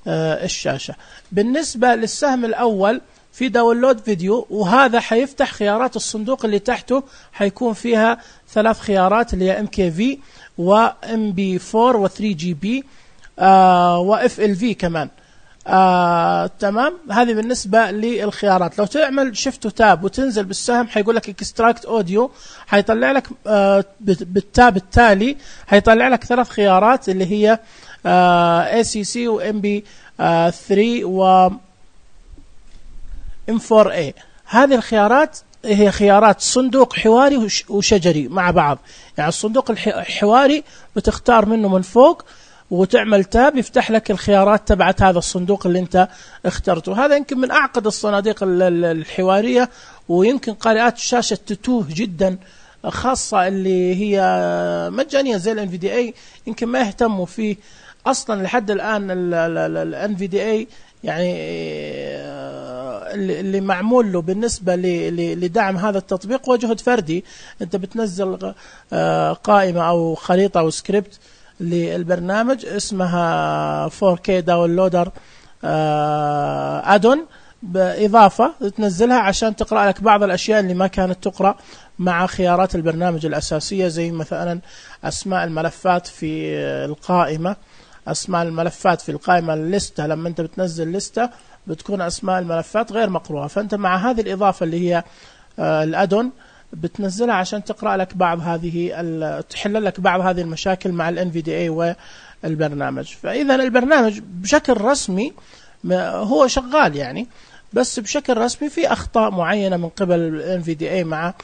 S1: الشاشة. بالنسبة للسهم الأول في داونلود فيديو، وهذا حيفتح خيارات الصندوق اللي تحته، حيكون فيها ثلاث خيارات اللي هي إم كي في و إم بي فور و ثري جي بي آه و إف إل في كمان. آه تمام. هذه بالنسبة للخيارات. لو تعمل شيفت وتاب وتنزل بالسهم حيقول لك اكستراكت اوديو، حيطلع لك آه بالتاب التالي حيطلع لك ثلاث خيارات اللي هي آه إيه سي سي و إم بي ثري و إم فور إيه. هذه الخيارات هي خيارات صندوق حواري وشجري مع بعض. يعني الصندوق الحواري بتختار منه من فوق وتعمل تاب يفتح لك الخيارات تبعت هذا الصندوق اللي انت اخترته. هذا يمكن من أعقد الصناديق الحوارية، ويمكن قارئات الشاشة تتوه جدا، خاصة اللي هي مجانية زي ال إن في دي إيه يمكن ما يهتموا فيه أصلا لحد الآن. ال إن في دي إيه يعني اللي معمول له بالنسبة لدعم هذا التطبيق هو جهد فردي. انت بتنزل قائمة أو خريطة أو سكريبت للبرنامج اسمها فور كي داونلودر أدون بإضافة تنزلها عشان تقرأ لك بعض الأشياء اللي ما كانت تقرأ مع خيارات البرنامج الأساسية، زي مثلا أسماء الملفات في القائمة. أسماء الملفات في القائمة الليستة لما أنت بتنزل لستة بتكون أسماء الملفات غير مقروءة، فأنت مع هذه الإضافة اللي هي الأدون بتنزلها عشان تقرأ لك بعض هذه تحل لك بعض هذه المشاكل مع ال إن في دي إيه والبرنامج. فإذا البرنامج بشكل رسمي هو شغال يعني، بس بشكل رسمي في أخطاء معينة من قبل ال إن في دي إيه مع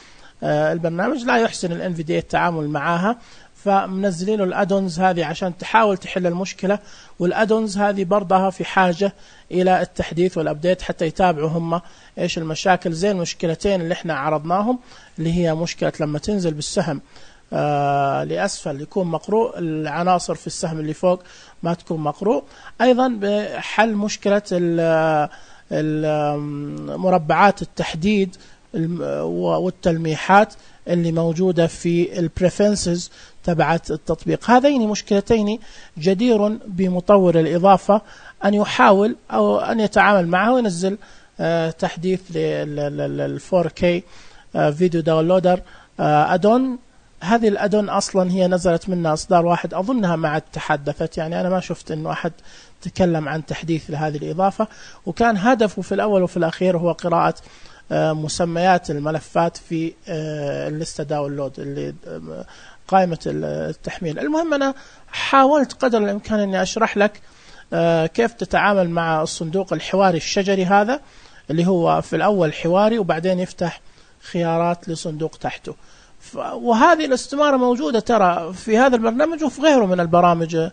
S1: البرنامج، لا يحسن ال إن في دي إيه التعامل معها، فمنزلين الأدونز هذه عشان تحاول تحل المشكلة. والأدونز هذه برضها في حاجة إلى التحديث والأبديت حتى يتابعوا هم إيش المشاكل، زي المشكلتين اللي احنا عرضناهم، اللي هي مشكلة لما تنزل بالسهم آه لأسفل يكون مقروء، العناصر في السهم اللي فوق ما تكون مقروء. أيضا بحل مشكلة مربعات التحديد والتلميحات اللي موجودة في البريفرنسز تبعت التطبيق. هذين مشكلتين جدير بمطور الإضافة أن يحاول أو أن يتعامل معها وينزل آه تحديث لل فور كي آه فيديو داونلودر آه أدون. هذه الأدون أصلا هي نزلت منها إصدار واحد، أظنها ما تحدثت، يعني أنا ما شفت إنه أحد تكلم عن تحديث لهذه الإضافة، وكان هدفه في الأول وفي الأخير هو قراءة مسميات الملفات في الليستة داونلود اللي قائمة التحميل. المهم أنا حاولت قدر الإمكان أني أشرح لك كيف تتعامل مع الصندوق الحواري الشجري هذا، اللي هو في الأول حواري وبعدين يفتح خيارات لصندوق تحته. وهذه الاستمارة موجودة ترى في هذا البرنامج وفي غيره من البرامج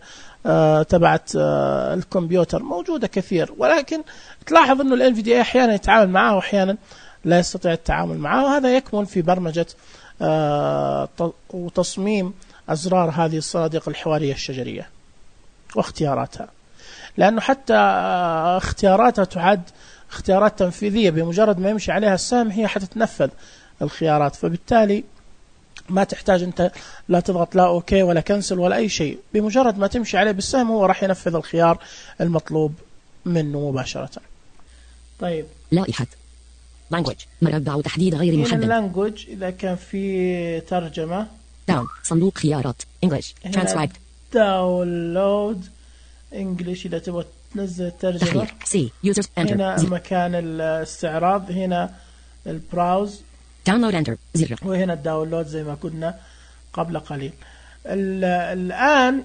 S1: تبعت الكمبيوتر، موجودة كثير، ولكن تلاحظ أنه ال إن في دي إيه أحيانا يتعامل معها وأحيانا لا يستطيع التعامل معه، وهذا يكمن في برمجة وتصميم أزرار هذه الصناديق الحوارية الشجرية واختياراتها، لأنه حتى اختياراتها تعد اختيارات تنفيذية، بمجرد ما يمشي عليها السهم هي حتتنفذ الخيارات، فبالتالي ما تحتاج أنت لا تضغط لا أوكي ولا كنسل ولا أي شيء، بمجرد ما تمشي عليه بالسهم هو راح ينفذ الخيار المطلوب منه مباشرة. طيب
S2: لائحة language مربع تحديد غير محدد.
S1: language إذا كان في ترجمة
S2: down صندوق خيارات English transcribed
S1: download English إذا تبغى تنزل ترجمة
S2: C users enter
S1: هنا زر. مكان الاستعراض هنا البراوز
S2: download enter زر،
S1: وهنا الداونلود زي ما كنا قبل قليل. الآن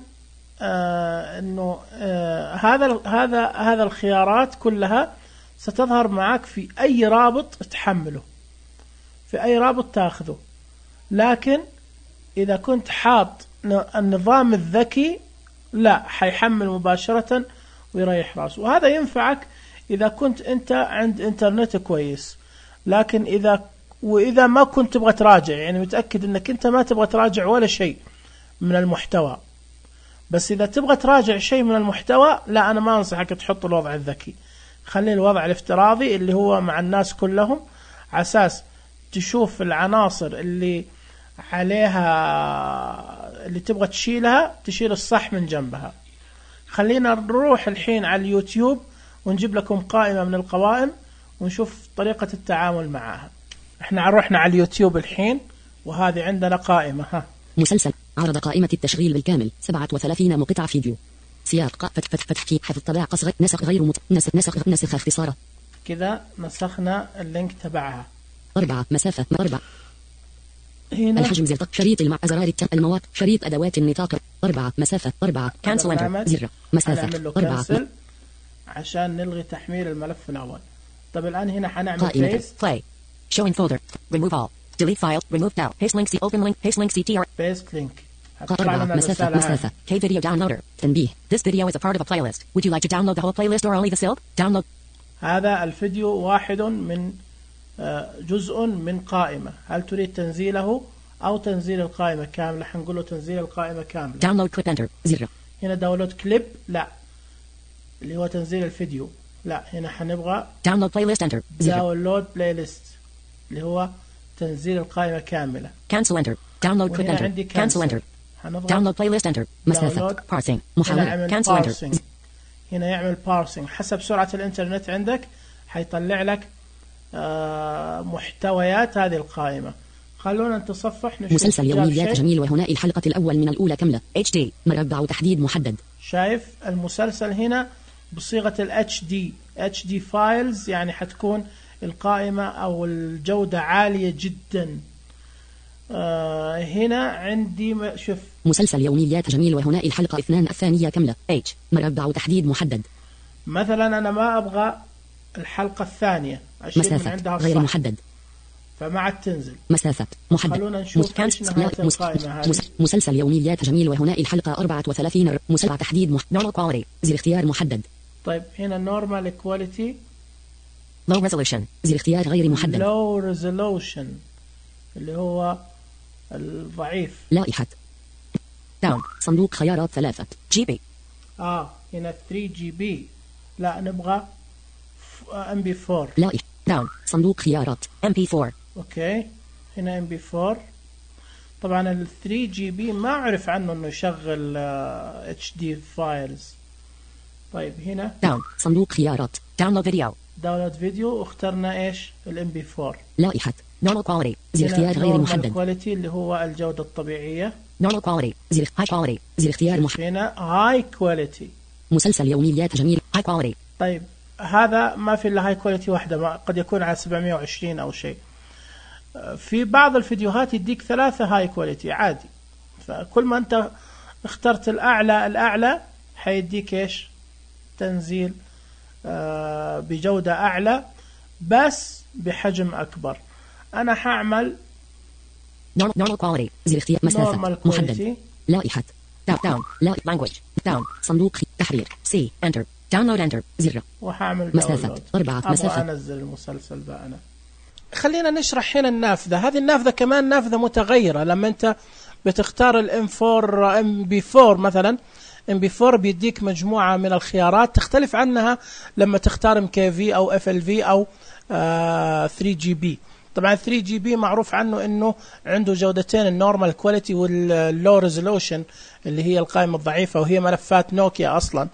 S1: آه إنه آه هذا هذا هذا الخيارات كلها ستظهر معك في أي رابط تحمله، في أي رابط تأخذه، لكن إذا كنت حاط النظام الذكي لا حيحمل مباشرة ويريح راسه. وهذا ينفعك إذا كنت أنت عند إنترنت كويس، لكن إذا وإذا ما كنت تبغى تراجع، يعني متأكد أنك أنت ما تبغى تراجع ولا شيء من المحتوى، بس إذا تبغى تراجع شيء من المحتوى لا، أنا ما أنصحك تحط الوضع الذكي، خلي الوضع الافتراضي اللي هو مع الناس كلهم، عساس تشوف العناصر اللي عليها اللي تبغى تشيلها تشيل الصح من جنبها. خلينا نروح الحين على اليوتيوب ونجيب لكم قائمة من القوائم ونشوف طريقة التعامل معها. احنا رحنا على اليوتيوب الحين وهذه عندنا قائمة. ها
S2: مسلسل عرض قائمة التشغيل بالكامل سبعة وثلاثين مقطع فيديو سياق فتح فتح فتح حفظ طبع قصر نسخ غير مت... نسخ نسخ نسخ اختصاره
S1: كذا نسخنا اللينك تبعها.
S2: أربعة مسافة أربعة
S1: هنا
S2: الحجم زر شريط المع زرار الت... المواقع شريط أدوات النطاق أربعة مسافة أربعة كانسل انتر زر مسافة أربعة م...
S1: عشان نلغي تحميل الملف الأول. طب الآن هنا حنعمل
S2: paste play showing folder remove all delete file remove now paste link c open link paste link ctr
S1: paste link
S2: أربعة مسافة مسافة K video downloader تنبيه this video is a part of a playlist would you like to download the whole playlist or only the silk download.
S1: هذا الفيديو واحد من جزء من قائمة، هل تريد تنزيله أو تنزيل القائمة كاملة؟ حنقول له تنزيل القائمة كاملة.
S2: download clip enter زر.
S1: هنا داونلود كليب لا، اللي هو تنزيل الفيديو لا، هنا حنبغى
S2: download playlist enter زر.
S1: download playlist اللي هو تنزيل القائمة كاملة.
S2: cancel enter download clip enter cancel enter download playlist enter مسافة parsing محاولة cancel enter.
S1: هنا يعمل parsing حسب سرعة الإنترنت عندك، حيطلع لك آه محتويات هذه القائمة. خلونا نتصفح نشوف
S2: مسلسل يوميات جميل وهناء الحلقة الأول من الأولى كاملة إتش دي مربع تحديد محدد.
S1: شايف المسلسل هنا بصيغة ال إتش دي إتش دي files، يعني حتكون القائمة أو الجودة عالية جدا. آه هنا عندي شوف
S2: مسلسل يوميات جميل وهنا الحلقة اثنان الثانية كاملة H مربع تحديد محدد.
S1: مثلا أنا ما أبغى الحلقة الثانية أشيل من عندها
S2: غير
S1: الصح.
S2: محدد
S1: فما عاد تنزل.
S2: مسافة محدد.
S1: خلونا نشوف إيش نهاية القائمة هذه.
S2: مسلسل يوميات جميل وهنا الحلقة أربعة وثلاثين مسلسل تحديد مح... normal quality زر اختيار محدد.
S1: طيب هنا normal quality
S2: low resolution زر اختيار غير محدد.
S1: low resolution اللي هو الضعيف.
S2: لائحة down صندوق خيارات ثلاثة جي بي.
S1: آه هنا ثري جي بي. لا نبغى إم بي فور.
S2: لائحة down صندوق خيارات إم بي فور.
S1: أوكي هنا إم بي فور. طبعا ال ثري جي بي ما أعرف عنه إنه يشغل إتش دي فايلز. طيب هنا
S2: down صندوق خيارات download video
S1: داونلود فيديو واخترنا إيش الإم بي فور.
S2: لائحة normal quality زر اختيار غير محدد.
S1: quality اللي هو الجودة الطبيعية.
S2: normal quality زر high quality زر اختيار محدد.
S1: هنا high quality
S2: مسلسل يوميات جميل high quality.
S1: طيب هذا ما في إلا هاي كواليتي واحدة، ما قد يكون على سبعمية وعشرين أو شيء. في بعض الفيديوهات يديك ثلاثة هاي كواليتي عادي، فكل ما أنت اخترت الأعلى الأعلى حيديك إيش تنزيل آه بجودة أعلى بس بحجم أكبر. أنا حأعمل
S2: normal quality زر اختيار مسافة محدد. لائحة down لا language down صندوق تحرير سي enter download enter زر
S1: وحاعمل
S2: مسافة أربعة مسافة.
S1: أبغى أنزل المسلسل بقى أنا. خلينا نشرح هنا النافذة. هذه النافذة كمان نافذة متغيرة. لما أنت بتختار الام فور ام بي فور مثلا، ام بي فور بيديك مجموعة من الخيارات تختلف عنها لما تختار ام كي في أو اف ال في أو آه ثري جي بي. طبعا ثري جي بي معروف عنه انه عنده جودتين، النورمال كواليتي واللو ريزولوشن اللي هي القائمة الضعيفة، وهي ملفات نوكيا اصلا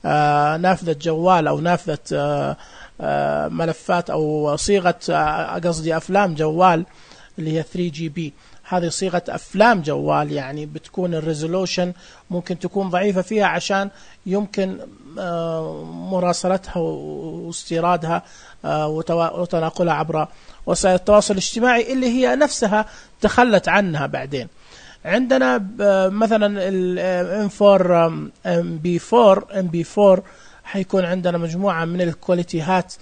S1: آه نافذة جوال او نافذة آه آه ملفات او صيغة آه قصدي افلام جوال اللي هي ثري جي بي. هذه صيغة افلام جوال، يعني بتكون الريزولوشن ممكن تكون ضعيفة فيها عشان يمكن آه مراسلتها واستيرادها آه وتناقلها عبر وسائل التواصل الاجتماعي اللي هي نفسها تخلت عنها بعدين. عندنا مثلا الام فور ام بي فور ام بي فور حيكون عندنا مجموعة من الكواليتيات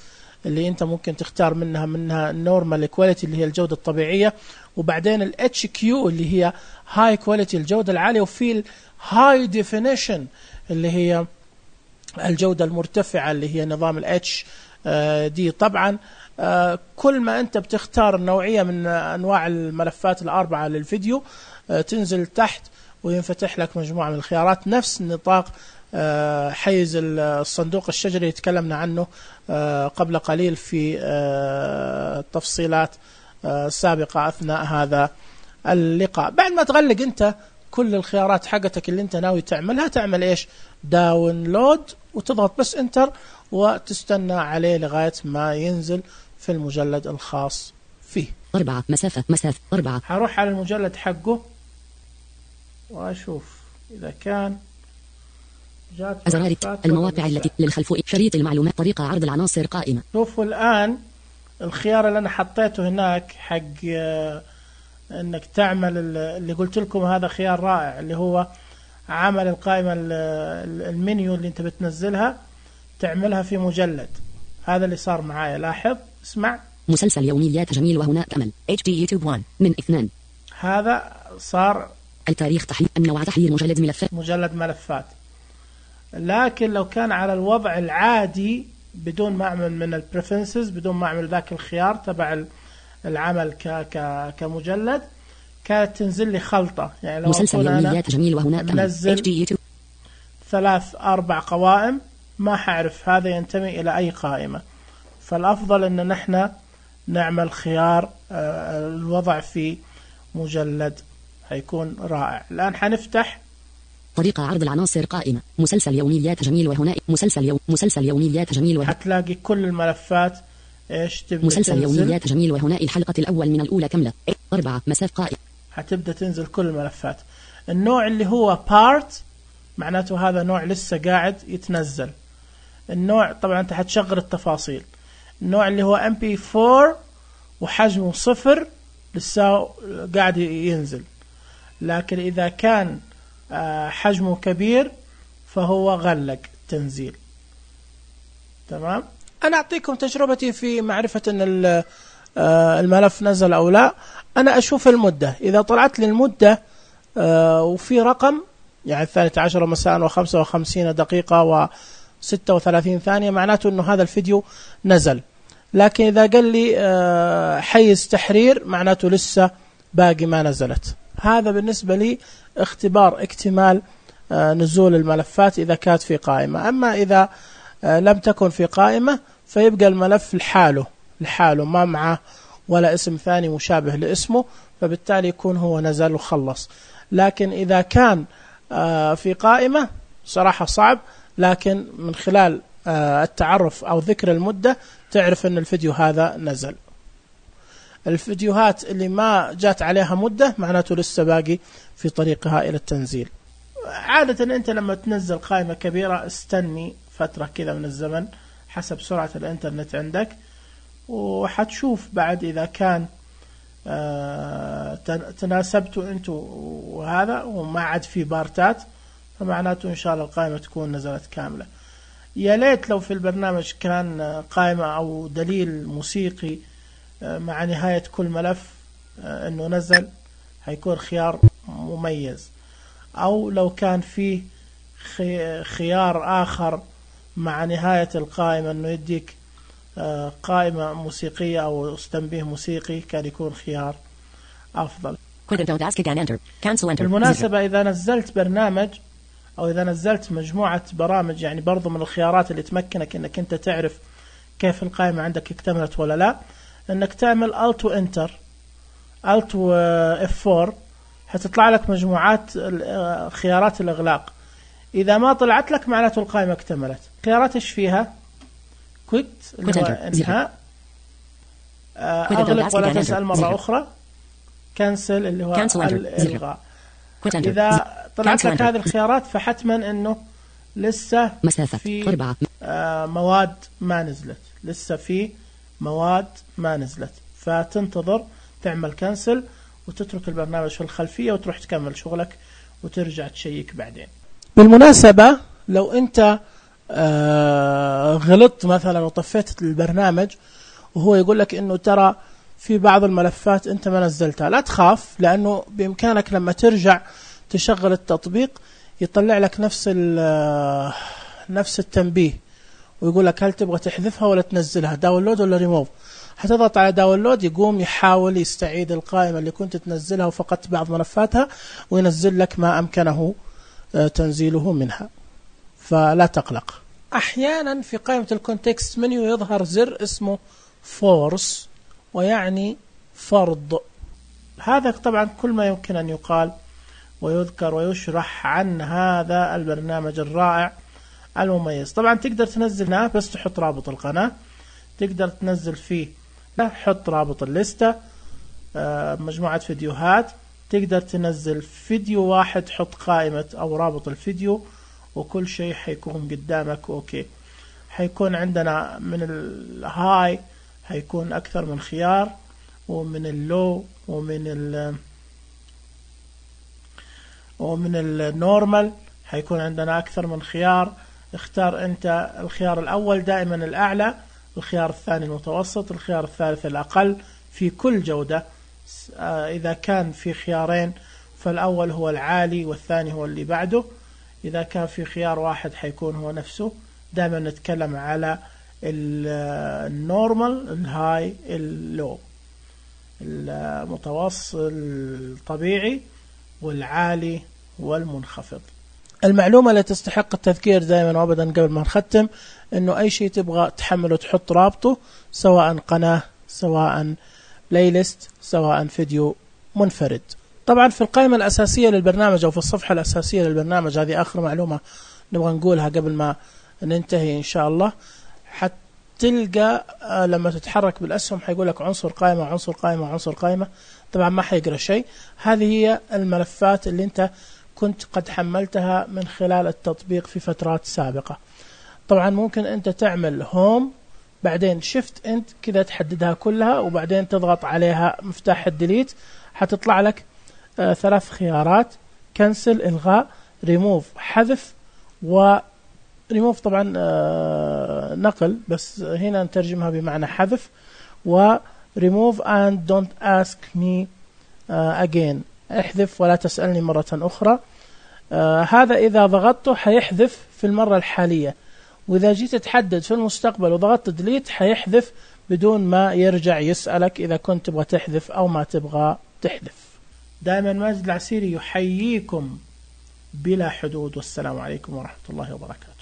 S1: اللي انت ممكن تختار منها منها النورمال كواليتي اللي هي الجودة الطبيعية، وبعدين الاتش كيو اللي هي هاي كواليتي الجودة العالية، وفي الهاي ديفينيشن اللي هي الجودة المرتفعة اللي هي نظام الاتش دي. طبعا آه كل ما أنت بتختار نوعية من أنواع الملفات الأربعة للفيديو آه تنزل تحت وينفتح لك مجموعة من الخيارات نفس نطاق آه حيز الصندوق الشجري اللي تكلمنا عنه آه قبل قليل في آه تفصيلات آه سابقة أثناء هذا اللقاء. بعد ما تغلق أنت كل الخيارات حقتك اللي أنت ناوي تعملها، تعمل إيش داونلود وتضغط بس انتر وتستنى عليه لغاية ما ينزل في المجلد الخاص فيه.
S2: أربعة مسافة مسافة أربعة.
S1: هروح على المجلد حقه وأشوف إذا كان جات
S2: أزرار المواقع التي للخلف شريط المعلومات طريقة عرض العناصر قائمة.
S1: شوفوا الآن الخيار اللي أنا حطيته هناك حق إنك تعمل اللي قلت لكم هذا خيار رائع، اللي هو عمل القائمة المنيو اللي أنت بتنزلها تعملها في مجلد. هذا اللي صار معايا. لاحظ اسمع
S2: مسلسل يوميات جميل وهناك أمل اتش دي يوتيوب واحد من اثنان.
S1: هذا صار
S2: التاريخ تحليل النوع تحليل مجلد ملفات
S1: مجلد ملفات. لكن لو كان على الوضع العادي بدون ما أعمل من البريفرنسز، بدون ما أعمل ذاك الخيار تبع العمل ك ك كمجلد، كانت تنزل لي خلطة. يعني لو
S2: مسلسل يوميات جميل وهناك أمل اتش دي يوتيوب
S1: ثلاث أربع قوائم ما حعرف هذا ينتمي إلى أي قائمة. فالأفضل أن نحن نعمل خيار الوضع في مجلد، هيكون رائع. الآن حنفتح
S2: طريقة عرض العناصر قائمة مسلسل يوميات جميل وهنا مسلسل يوم مسلسل يوميات جميل وهنا
S1: هتلاقي كل الملفات ايش تبدأ
S2: مسلسل
S1: تنزل.
S2: يوميات جميل وهنا الحلقة الأول من الأولى كاملة أربعة مسافة قائمة.
S1: هتبدأ تنزل كل الملفات. النوع اللي هو بارت معناته هذا نوع لسه قاعد يتنزل. النوع طبعا انت هتشغل التفاصيل. النوع اللي هو ام بي فور وحجمه صفر لسه قاعد ينزل. لكن إذا كان حجمه كبير فهو غلق تنزيل. تمام. أنا أعطيكم تجربتي في معرفة أن الملف نزل أو لا. أنا أشوف المدة، إذا طلعت لي المدة وفي رقم يعني الثانية عشر مساء وخمسة وخمسين دقيقة وستة وثلاثين ثانية، معناته أنه هذا الفيديو نزل. لكن إذا قال لي حيز تحرير معناته لسه باقي ما نزلت. هذا بالنسبة لي اختبار اكتمال نزول الملفات إذا كانت في قائمة. أما إذا لم تكن في قائمة فيبقى الملف لحاله لحاله ما معه ولا اسم ثاني مشابه لاسمه، فبالتالي يكون هو نزل وخلص. لكن إذا كان في قائمة صراحة صعب، لكن من خلال التعرف أو ذكر المدة تعرف أن الفيديو هذا نزل. الفيديوهات اللي ما جات عليها مدة معناته لسه باقي في طريقها إلى التنزيل. عادة أنت لما تنزل قائمة كبيرة استني فترة كذا من الزمن حسب سرعة الإنترنت عندك، وحتشوف بعد إذا كان تناسبتوا أنتوا وهذا وما عاد في بارتات، فمعناته إن شاء الله القائمة تكون نزلت كاملة. يا ليت لو في البرنامج كان قائمة أو دليل موسيقي مع نهاية كل ملف أنه نزل، هيكون خيار مميز. أو لو كان فيه خيار آخر مع نهاية القائمة أنه يديك قائمة موسيقية أو تنبيه موسيقي، كان يكون خيار أفضل. بالمناسبة إذا نزلت برنامج أو إذا نزلت مجموعة برامج، يعني برضو من الخيارات اللي تمكنك أنك أنت تعرف كيف القائمة عندك اكتملت ولا لا، أنك تعمل Alt و Enter Alt و إف فور، هتطلع لك مجموعات خيارات الإغلاق. إذا ما طلعت لك معناته القائمة اكتملت. خيارات إيش فيها؟ كويت اللي هو انهاء، أغلق ولا تسأل مرة أخرى، كنسل اللي هو الإلغاء. إذا طلعت لك هذه الخيارات فحتما أنه لسه في مواد ما نزلت، لسه في مواد ما نزلت، فتنتظر تعمل كنسل وتترك البرنامج في الخلفية وتروح تكمل شغلك وترجع تشيك بعدين. بالمناسبة لو أنت آه غلطت مثلا وطفيت البرنامج وهو يقول لك انه ترى في بعض الملفات انت ما نزلتها، لا تخاف، لانه بامكانك لما ترجع تشغل التطبيق يطلع لك نفس نفس التنبيه ويقول لك هل تبغى تحذفها ولا تنزلها، داونلود ولا ريموف. هتضغط على داونلود، يقوم يحاول يستعيد القائمة اللي كنت تنزلها وفقدت بعض ملفاتها وينزل لك ما امكنه تنزيله منها، فلا تقلق. أحيانا في قائمة الكونتكست منيو يظهر زر اسمه فورس، ويعني فرض. هذا طبعا كل ما يمكن أن يقال ويذكر ويشرح عن هذا البرنامج الرائع المميز. طبعا تقدر تنزلها بس تحط رابط القناة، تقدر تنزل فيه حط رابط الليستة، مجموعة فيديوهات، تقدر تنزل فيديو واحد حط قائمة أو رابط الفيديو، وكل شيء حيكون قدامك أوكي. حيكون عندنا من الهاي حيكون أكثر من خيار، ومن اللو ومن ال ومن النورمال حيكون عندنا أكثر من خيار. اختار أنت الخيار الأول دائما الأعلى، الخيار الثاني المتوسط، الخيار الثالث الأقل في كل جودة. إذا كان في خيارين فالأول هو العالي والثاني هو اللي بعده. إذا كان في خيار واحد حيكون هو نفسه. دائما نتكلم على النورمال، الهاي، اللو، المتوسط، الطبيعي، والعالي والمنخفض. المعلومة اللي تستحق التذكير دائما وابدا قبل ما نختم، انه اي شيء تبغى تحمله تحط رابطه، سواء قناة، سواء بلاي ليست، سواء فيديو منفرد. طبعا في القائمة الأساسية للبرنامج أو في الصفحة الأساسية للبرنامج، هذه آخر معلومة نبغى نقولها قبل ما ننتهي إن شاء الله، حتلقى لما تتحرك بالأسهم حيقول لك عنصر قائمة عنصر قائمة عنصر قائمة. طبعا ما حيقرأ شيء. هذه هي الملفات اللي أنت كنت قد حملتها من خلال التطبيق في فترات سابقة. طبعا ممكن أنت تعمل هوم بعدين شفت انت كذا تحددها كلها، وبعدين تضغط عليها مفتاح الديليت، حتطلع لك آه ثلاث خيارات: كنسل الغاء، ريموف حذف، و ريموف طبعا آه نقل، بس هنا نترجمها بمعنى حذف، و remove and don't ask me uh, again، احذف ولا تسألني مرة أخرى. آه هذا إذا ضغطته حيحذف في المرة الحالية، وإذا جيت تحدد في المستقبل وضغطت ديليت حيحذف بدون ما يرجع يسألك إذا كنت تبغى تحذف أو ما تبغى تحذف. دائما ماجد العسيري يحييكم بلا حدود، والسلام عليكم ورحمة الله وبركاته.